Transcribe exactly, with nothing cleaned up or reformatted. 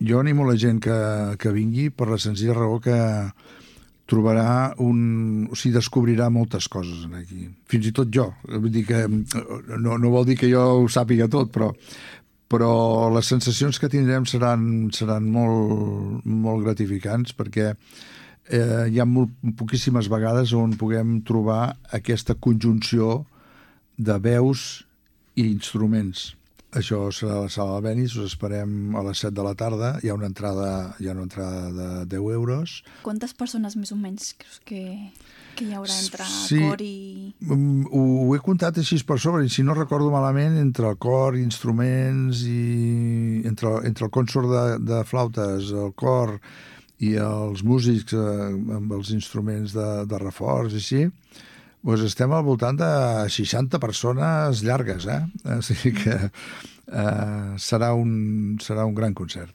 Jo animo la gent que, que vingui per la senzilla raó que trobarà un... o sigui, descobrirà moltes coses aquí. Fins i tot jo. Vull dir que no, no vol dir que jo ho sàpiga tot, però, però les sensacions que tindrem seran, seran molt, molt gratificants perquè eh, hi ha molt, poquíssimes vegades on puguem trobar aquesta conjunció de veus i instruments. Això serà a la sala Albéniz, us esperem a les set de la tarda, hi ha una entrada, hi ha una entrada de deu euros. Quantes persones més o menys creus que, que hi haurà entre Sí, cor i... mm, ho, ho he comptat així per sobre, i si no recordo malament, entre el cor, instruments, i entre, entre el consort de, de flautes, el cor i els músics eh, amb els instruments de, de reforç i així, doncs estem al voltant de seixanta persones llargues, eh? O sigui que eh, serà, un, serà un gran concert.